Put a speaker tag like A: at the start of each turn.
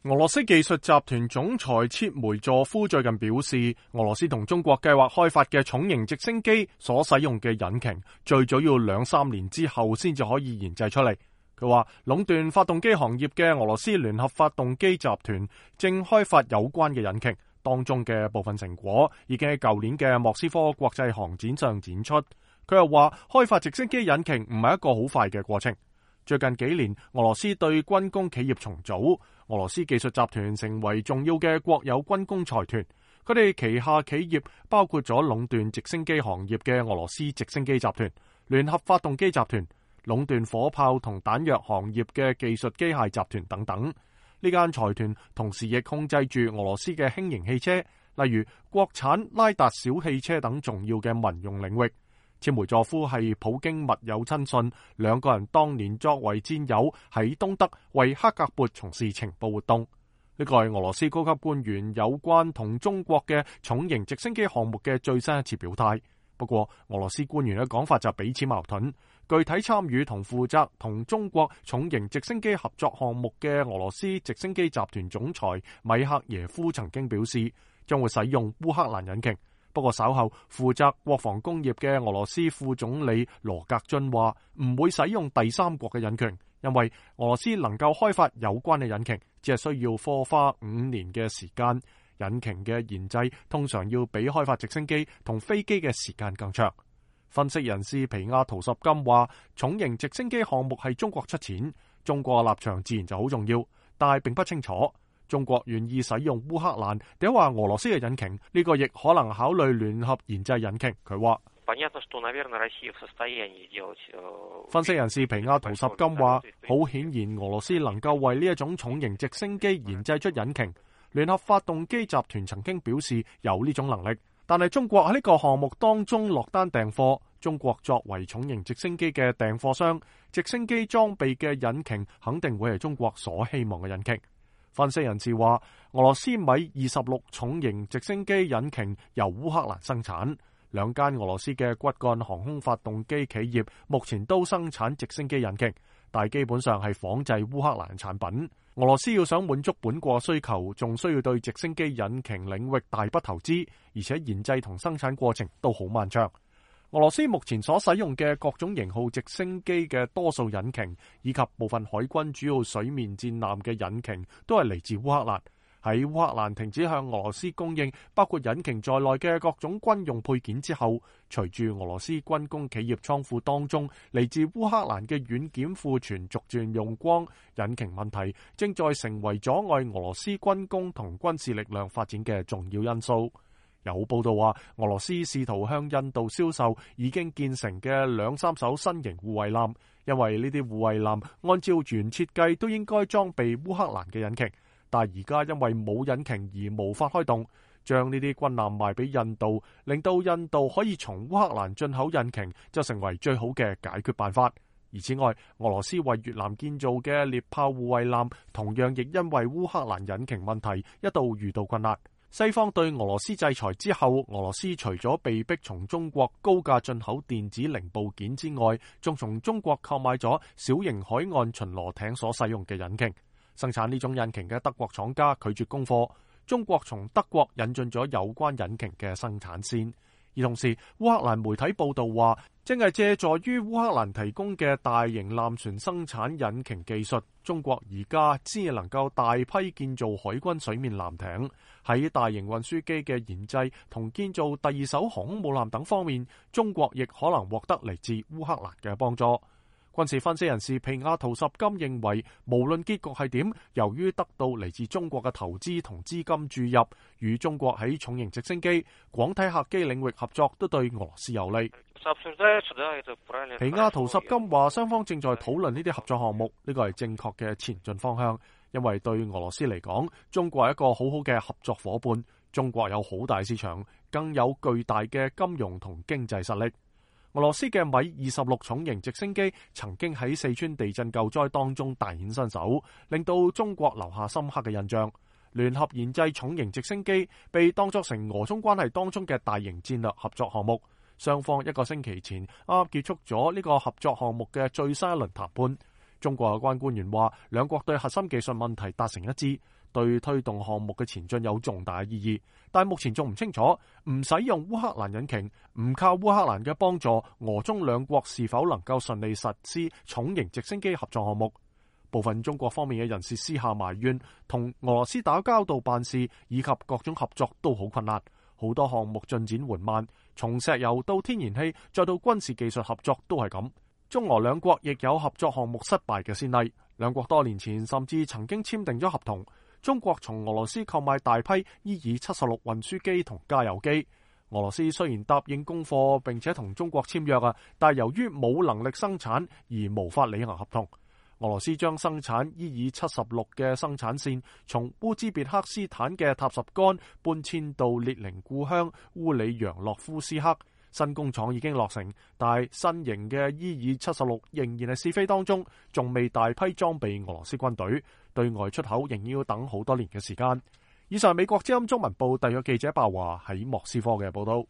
A: 俄羅斯技術集團總裁切梅佐夫最近表示，俄羅斯同中國計劃開發嘅重型直升機所使用嘅引擎，最早要2-3年之後先至可以研製出嚟。佢話，壟斷發動機行業嘅俄羅斯聯合發動機集團正開發有關嘅引擎，當中嘅部分成果已經喺舊年嘅莫斯科國際航展上展出。佢又話，開發直升機引擎唔係一個好快嘅過程。最近幾年，俄羅斯對軍工企業重組，俄羅斯技術集團成為重要嘅國有軍工財團。佢哋旗下企業包括咗壟斷直升機行業嘅俄羅斯直升機集團、聯合發動機集團、壟斷火炮同彈藥行業嘅技術機械集團等等。呢間財團同時亦控制住俄羅斯嘅輕型汽車，例如國產拉達小汽車等重要嘅民用領域。切梅佐夫係普京密友親信，兩個人當年作為戰友喺東德為克格勃從事情報活動。呢個係俄羅斯高級官員有關同中國嘅重型直升機項目嘅最新一次表態。不過，俄羅斯官員嘅講法就彼此矛盾。具體參與同負責同中國重型直升機合作項目嘅俄羅斯直升機集團總裁米克耶夫曾經表示，將會使用烏克蘭引擎。不過稍後負責國防工業嘅俄羅斯副總理羅格津話唔會使用第三國嘅引擎，因為俄羅斯能夠開發有關嘅引擎，只係需要花5年嘅時間。引擎嘅研製通常要比開發直升機同飛機嘅時間更長。分析人士皮亞圖什金話，重型直升機項目係中國出錢，中國立場自然就好重要，但係並不清楚中國願意使用烏克蘭，定話俄羅斯嘅引擎，呢個亦可能考慮聯合研製引擎。佢話，分析人士皮亞圖什金話，好顯然俄羅斯能夠為呢一種重型直升機研製出引擎。聯合發動機集團曾經表示有呢種能力，但係中國喺呢個項目當中落單訂貨。中國作為重型直升機嘅訂貨商，直升機裝備嘅引擎肯定會係中國所希望嘅引擎。分析人士話，俄羅斯米26重型直升機引擎由烏克蘭生產，兩間俄羅斯嘅骨幹航空發動機企業目前都生產直升機引擎，但基本上係仿製烏克蘭產品。俄羅斯要想滿足本國需求，仲需要對直升機引擎領域大筆投資，而且研製同生產過程都好漫長。俄羅斯目前所使用嘅各種型號直升機嘅多數引擎，以及部分海軍主要水面戰艦嘅引擎，都係嚟自烏克蘭。喺烏克蘭停止向俄羅斯供應包括引擎在內嘅各種軍用配件之後，隨住俄羅斯軍工企業倉庫當中嚟自烏克蘭嘅軟件庫存逐漸用光，引擎問題正在成為阻礙俄羅斯軍工同軍事力量發展嘅重要因素。有報道話，俄羅斯試圖向印度銷售已經建成嘅2-3艘新型護衛艦，因為呢啲護衛艦按照原設計都應該裝備烏克蘭嘅引擎，但而家因為冇引擎而無法開動，將呢啲軍艦賣俾印度，令到印度可以從烏克蘭進口引擎，就成為最好嘅解決辦法。而此外，俄羅斯為越南建造嘅獵豹護衛艦，同樣亦因為烏克蘭引擎問題一度遇到困難。西方對俄羅斯制裁之後，俄羅斯除咗被逼從中國高價進口電子零部件之外，仲從中國購買咗小型海岸巡邏艇所使用嘅引擎。生產呢種引擎嘅德國廠家拒絕供貨，中國從德國引進咗有關引擎嘅生產線。而同時，烏克蘭媒體報道話，正係借助於烏克蘭提供嘅大型艦船生產引擎技術，中國而家先能夠大批建造海軍水面艦艇。喺大型運輸機嘅研製同建造第二艘航空母艦等方面，中國亦可能獲得嚟自烏克蘭嘅幫助。軍事分析人士皮亞圖什金認為，無論結局係點，由於得到嚟自中國嘅投資同資金注入，與中國喺重型直升機、廣體客機領域合作都對俄羅斯有利。皮亞圖什金話，雙方正在討論呢啲合作項目，呢個係正確嘅前進方向，因為對俄羅斯嚟講，中國係一個好好嘅合作夥伴，中國有好大市場，更有巨大嘅金融同經濟實力。俄羅斯嘅米26重型直升機曾經喺四川地震救災當中大顯身手，令到中國留下深刻嘅印象。聯合研製重型直升機被當作成俄中關係當中嘅大型戰略合作項目。雙方1個星期前啱結束咗呢個合作項目嘅最新一輪談判。中國有關官員話，兩國對核心技術問題達成一致，對推動項目嘅前進有重大意義，但目前仲唔清楚，唔使用烏克蘭引擎，唔靠烏克蘭嘅幫助，俄中兩國是否能夠順利實施重型直升機合作項目。部分中國方面嘅人士私下埋怨，同俄羅斯打交道辦事以及各種合作都好困難，好多項目進展緩慢，從石油到天然氣再到軍事技術合作都係咁。中俄兩國亦有合作項目失敗嘅先例，兩國多年前甚至曾經簽訂咗合同，中國從俄羅斯購買大批伊爾76運輸機同加油機。俄羅斯雖然答應供貨並且同中國簽約但由於冇能力生產而無法履行合同。俄羅斯將生產伊爾76嘅生產線從烏茲別克斯坦嘅塔什干搬遷到列寧故鄉烏里揚洛夫斯克。新工廠已經落成，但係新型嘅伊爾76仍然係試飛當中，仲未大批裝備俄羅斯軍隊，對外出口仍然要等好多年嘅時間。以上美國之音中文部特約記者鮑華喺莫斯科嘅報道。